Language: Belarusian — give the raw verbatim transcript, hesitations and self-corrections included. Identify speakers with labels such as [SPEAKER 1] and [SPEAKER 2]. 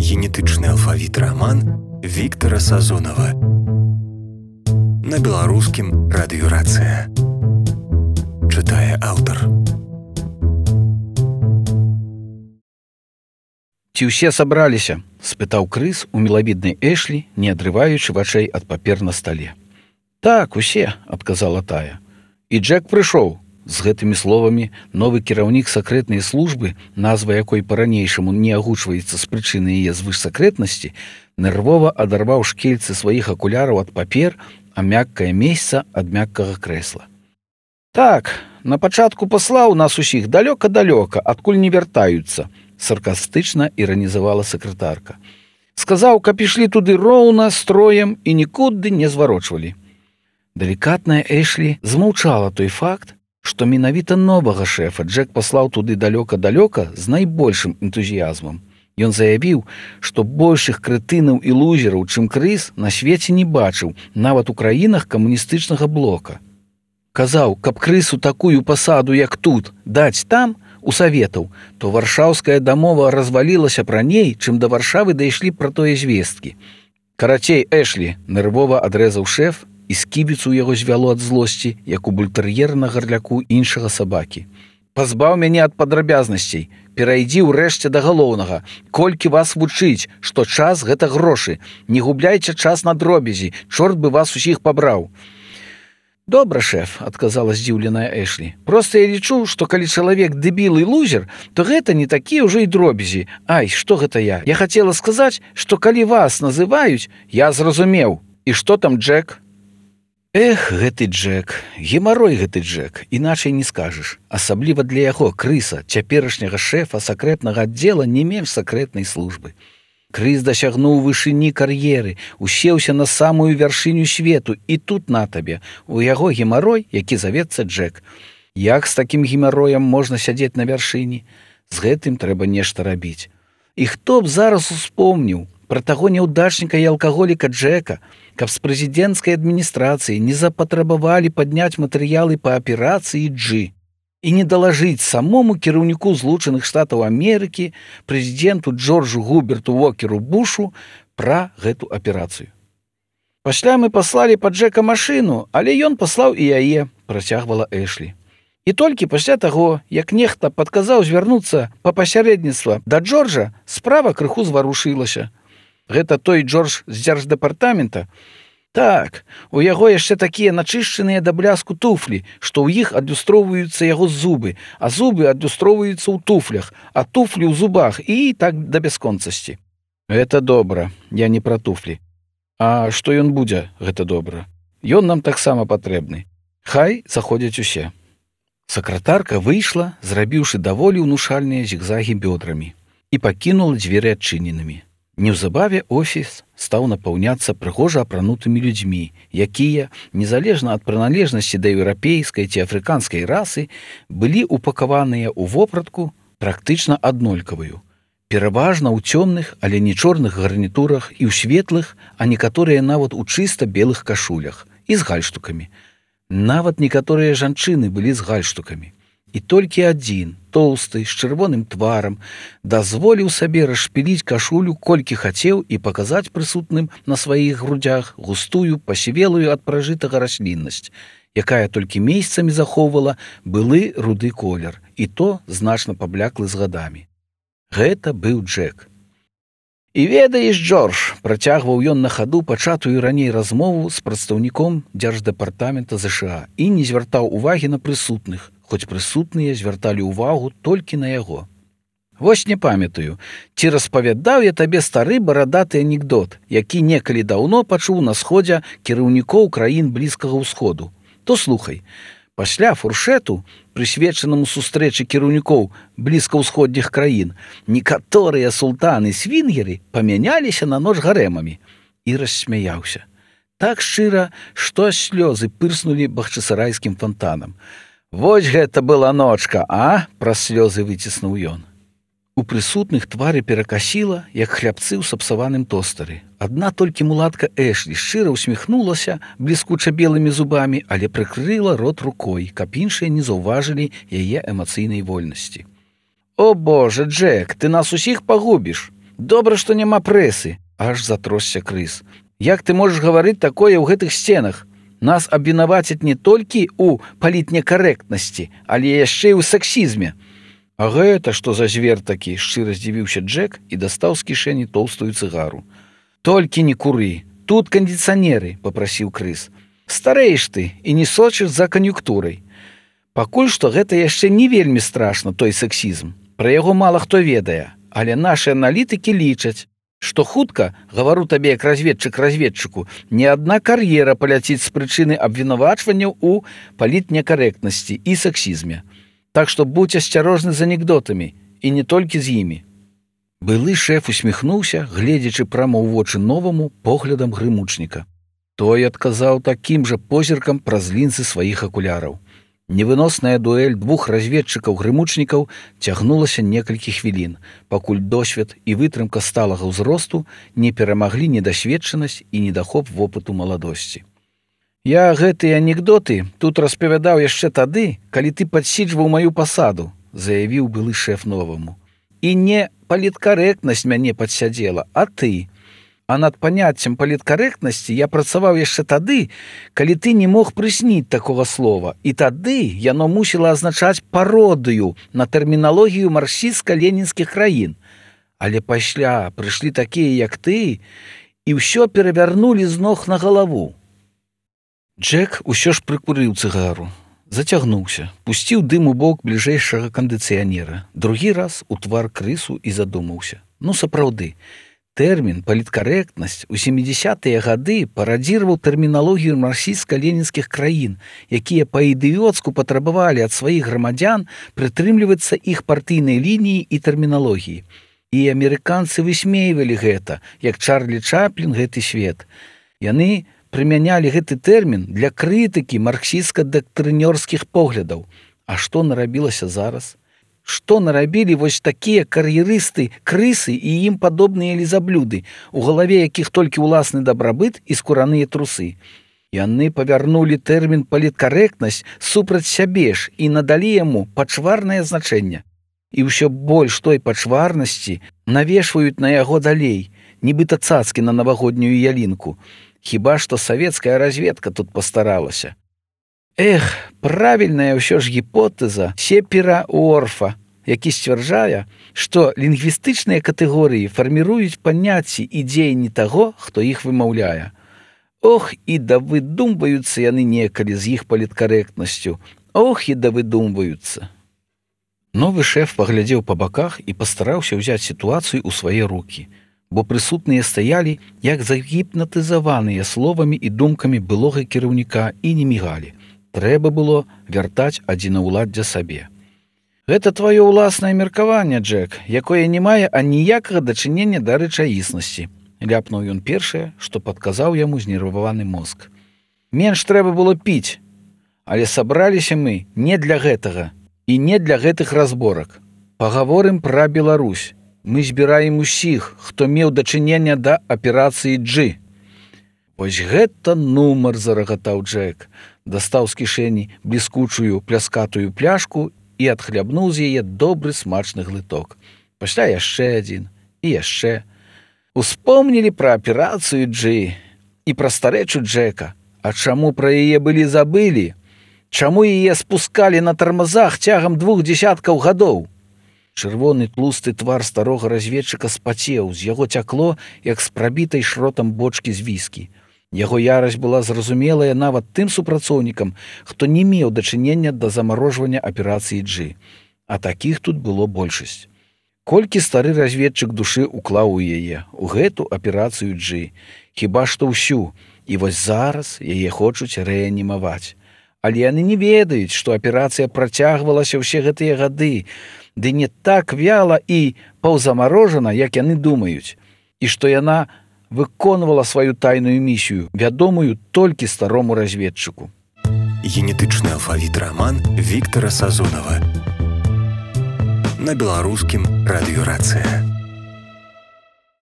[SPEAKER 1] генетычны алфавіт раман Віктара Сазонава. На беларускім радыёрацыя. Чытае аўтар.
[SPEAKER 2] «Ці ўсе сабраліся?» – спытаў крыс у мілавіднай Эшлі, не адрываючы вачэй ад папер на стале. «Так, усе», – адказала тая. «І Джек прыйшоў». З гэтымі словамі новы кіраўнік сакрэтнай службы, назва якой па-ранейшаму не агучваецца з прычыны яе звышсакрэтнасці, нервова адарваў шкельцы сваіх акуляраў ад папер, а мяккае месца ад мяккага крэсла. «Так, на пачатку паслаў нас усіх далёка-далёка, адкуль не вяртаюцца», саркастычна іранізавала сакратарка. «Сказаў, каб ішлі туды роўна, строем і нікуды не зварочвалі». Далікатная Эшлі змаўчала той факт, што менавіта новага шэфа Джек паслаў туды далёка-далёка з найбольшым энтузіязмам. Ён заявіў, што большых крэтынаў і лузераў, чым крыс, на свеце не бачыў, нават у краінах камуністычнага блока. Казаў, каб крысу такую пасаду, як тут, даць там, у саветаў, то варшаўская дамова развалілася б раней, чым да Варшавы дайшлі пра тое звесткі. «Карацей, Эшлі», – нервова адрэзаў шэф, і скібіцу яго звяло ад злосці, як у бультэр'ера на гарляку іншага сабакі. «Пазбаў мяне ад падрабязнасцей, перайдзі ўрэшце да галоўнага. Колькі вас вучыць, што час – гэта грошы. Не губляйце час на дробязі, чорт бы вас усіх пабраў». «Добра, шэф», – адказала здзіўленая Эшлі. «Проста я лічу, што калі чалавек дэбіл і лузер, то гэта не такія ўжо і дробязі. Ай, што гэта я? Я хацела сказаць, што калі вас называюць, я зразумеў. І што там Джек?» «Эх, гэты Джек, гемарой гэты Джек, іначай не скажаш. Асабліва для яго, крыса, цяперашняга шэфа сакрэтнага аддзела не менш сакрэтнай службы. Крыс дасягнуў вышыні кар'еры, усеўся на самую вяршыню свету, і тут на табе, у яго гемарой, які завецца Джек. Як з такім гемароем можна сядзець на вяршыні? З гэтым трэба нешта рабіць. І хто б зараз успомніў пра таго няўдачніка і алкаголіка Джека, каб з прэзідэнцкай адміністрацыі не запатрабавалі падняць матэрыялы па аперацыі Джы і не далажыць самому кіраўніку Злучаных Штатаў Амерыкі, прэзідэнту Джорджу Губерту Уокеру Бушу пра гэту аперацыю. Пасля мы паслалі па Джека машыну, але ён паслаў і яе», – працягвала Эшлі. «І толькі пасля таго, як нехта падказаў звярнуцца па пасярэдніцтва да Джорджа, справа крыху зварушылася». «Гэта той Джордж з дзярждэпартамента?» «Так, у яго яшчэ такія начышчаныя да бляску туфлі, што ў іх адлюстроўваюцца яго зубы, а зубы адлюстроўваюцца ў туфлях, а туфлі ў зубах і так да бясконцасці». «Гэта добра, я не пра туфлі. А што ён будзе, гэта добра? Ён нам таксама патрэбны. Хай заходзяць усе». Сакратарка выйшла, зрабіўшы даволі ўнушальныя зігзагі бёдрамі, і пакінула дзверы адчыненымі. Неўзабаве офіс стаў напаўняцца прыгожа апранутымі людзьмі, якія, незалежна ад прыналежнасці да еўрапейскай ці афрыканскай расы, былі упакаваныя ў вопратку практычна аднолькавую. Пераважна ў цёмных, але не чорных гарнітурах і ў светлых, а некаторыя нават у чыста белых кашулях і з гальштукамі. Нават некаторыя жанчыны былі з гальштукамі. І толькі адзін, тоўсты, з чырвоным тварам, дазволіў сабе расшпіліць кашулю колькі хацеў і паказаць прысутным на сваіх грудзях густую, пасівелую ад пражытага расліннасць, якая толькі месяцамі захоўвала былы руды колер, і то значна пабляклы з гадамі. Гэта быў Джек. «І ведаеш, Джордж», – працягваў ён на хаду пачатую раней размову з прадстаўніком дзярждэпартамента ЗША і не звяртаў увагі на прысутных, хоць прысутныя звярталі ўвагу толькі на яго. «Вось не памятаю, ці распавядаў я табе стары барадаты анекдот, які некалі даўно пачуў на сходзе кіраўнікоў краін Блізкага ўсходу. То слухай. Пасля фуршэту, прысвечанаму сустрэчы кіраўнікоў блізкаўсходніх краін, некаторыя султаны-свінгеры памяняліся на ноч гарэмамі». І рассмяяўся. Так шчыра, што аж слёзы пырснулі бахчысарайскім фонтанам. «Вось гэта была ночка, а?» – праз слёзы выціснуў ён. У прысутных твары перакасіла, як хлябцы ў сапсаваным тостары. Адна толькі мулатка Эшлі шчыра ўсміхнулася бліскуча белымі зубамі, але прыкрыла рот рукой, каб іншыя не заўважылі яе эмацыйнай вольнасці. «О, Боже, Джек, ты нас усіх пагубіш!» Добра, што няма прэсы, аж затросся крыс. Як ты можаш гаварыць такое ў гэтых сценах? Нас абвінавацяць не толькі ў палітнекарэктнасці, але яшчэ і ў сексізме. А гэта што за звер такі? Шчыра здзівіўся Джек і дастаў з кішэні тоўстую цыгару. Толькі не куры, тут кандыцыянеры, папрасіў крыс. Старэеш ты і не сочыш за кан'юнктурай. Пакуль што гэта яшчэ не вельмі страшна, той сексізм. Пра яго мала хто ведае, але нашы аналітыкі лічаць, што хутка, гавару табе як разведчык разведчыку, не адна кар'ера паляціць з прычыны абвінавачванняў у палітнекарэктнасці і сексізме. Так што будзь асцярожны з анекдотамі, і не толькі з імі. Былы шэф усміхнуўся, гледзячы прама ў вочы новаму поглядам грымучніка. Той адказаў такім жа позіркам праз лінзы сваіх акуляраў. Невыносная дуэль двух разведчыкаў-грымучнікаў цягнулася некалькі хвілін, пакуль досвед і вытрымка сталага ўзросту не перамаглі недасведчанасць і недахоп вопыту маладосці. Я гэтыя анекдоты тут распавядаў яшчэ тады, калі ты падсіджваў маю пасаду, заявіў былы шэф новаму. І не паліткарэктнасць мяне падсядзела, а ты. А над паняццем паліткарэктнасці я працаваў яшчэ тады, калі ты не мог прысніць такога слова. І тады яно мусіла азначаць пародыю на тэрміналогію марксістска-ленінскіх краін. Але пасля прыйшлі такія, як ты, і ўсё перавярнулі з ног на галаву. Джек усё ж прыкурыў цыгару, зацягнуўся, пусціў дым у бок бліжэйшага кандыцыянера. Другі раз у твар крысу і задумаўся. Ну, сапраўды, тэрмін паліткарэктнасць у сямідзясятыя гады парадзіраваў тэрміналогію марксістска-ленінскіх краін, якія па-ідыёцку патрабавалі ад сваіх грамадзян прытрымлівацца іх партыйнай лініі і тэрміналогіі. І амерыканцы высмейвалі гэта, як Чарлі Чаплін гэты свет. Яны прымянялі гэты тэрмін для крытыкі марксістска-дактрынёрскіх поглядаў. А што нарабілася зараз? Што нарабілі вось такія кар'ерысты, крысы і ім падобныя лізаблюды, у галаве якіх толькі ўласны дабрабыт і скураныя трусы. Яны павярнулі тэрмін паліткарэктнасць супраць сябе ж і надалі яму пачварнае значэнне. І ўсё больш той пачварнасці навешваюць на яго далей, нібыта цацкі на навагоднюю ялінку. Хіба што савецкая разведка тут пастаралася. Эх, правільная ўсё ж гіпотэза Сепера Уорфа, які сцвярджае, што лінгвістычныя катэгорыі фарміруюць паняцці і дзеянні таго, хто іх вымаўляе. Ох, і да выдумваюцца яны некалі з іх паліткарэктнасцю. Ох, і да выдумваюцца. Новы шэф паглядзеў па баках і пастараўся ўзяць сітуацыю ў свае рукі, бо прысутныя стаялі, як загіпнатызаваныя словамі і думкамі былога кіраўніка і не мігалі. Трэба было вяртаць адзінаўладдзя сабе. Гэта тваё ўласнае меркаванне, Джек, якое не мае аніякага дачынення да рэчаіснасці. Ляпнуў ён першае, што падказаў яму знерваваны мозг. Менш трэба было піць, але сабраліся мы не для гэтага і не для гэтых разборак. Пагаворым пра Беларусь. Мы збіраем усіх, хто меў дачынення да аперацыі G. Вось гэта нумар, зарагатаў Джек. Дастаў з кішэні бліскучую пляскатую пляшку і адхлябнуў з яе добры смачны глыток. Пасля яшчэ адзін і яшчэ. Успомнілі пра аперацыю G і пра старэчу Джека. А чаму пра яе былі забылі? Чаму яе спускалі на тармазах цягам двух дзесяткаў гадоў? Чырвоны тлусты твар старога разведчыка спацеў, з яго цякло, як з прабітай шротам бочкі з віскі. Яго ярасць была зразумелая нават тым супрацоўнікам, хто не меў дачынення да замарожвання аперацыі G. А такіх тут было большасць. Колькі стары разведчык душы уклаў у яе, у гэту аперацыю G. Хіба што ўсю. І вось зараз яе хочуць рэанімаваць. Але яны не ведаюць, што аперацыя працягвалася ўсе гэтыя гады, ды не так вяла і паўзамарожана, як яны думаюць, і што яна выконвала сваю тайную місію, вядомую толькі старому разведчыку.
[SPEAKER 1] Генетычны алфавіт раман Віктара Сазонава. На беларускім радыёрацыя.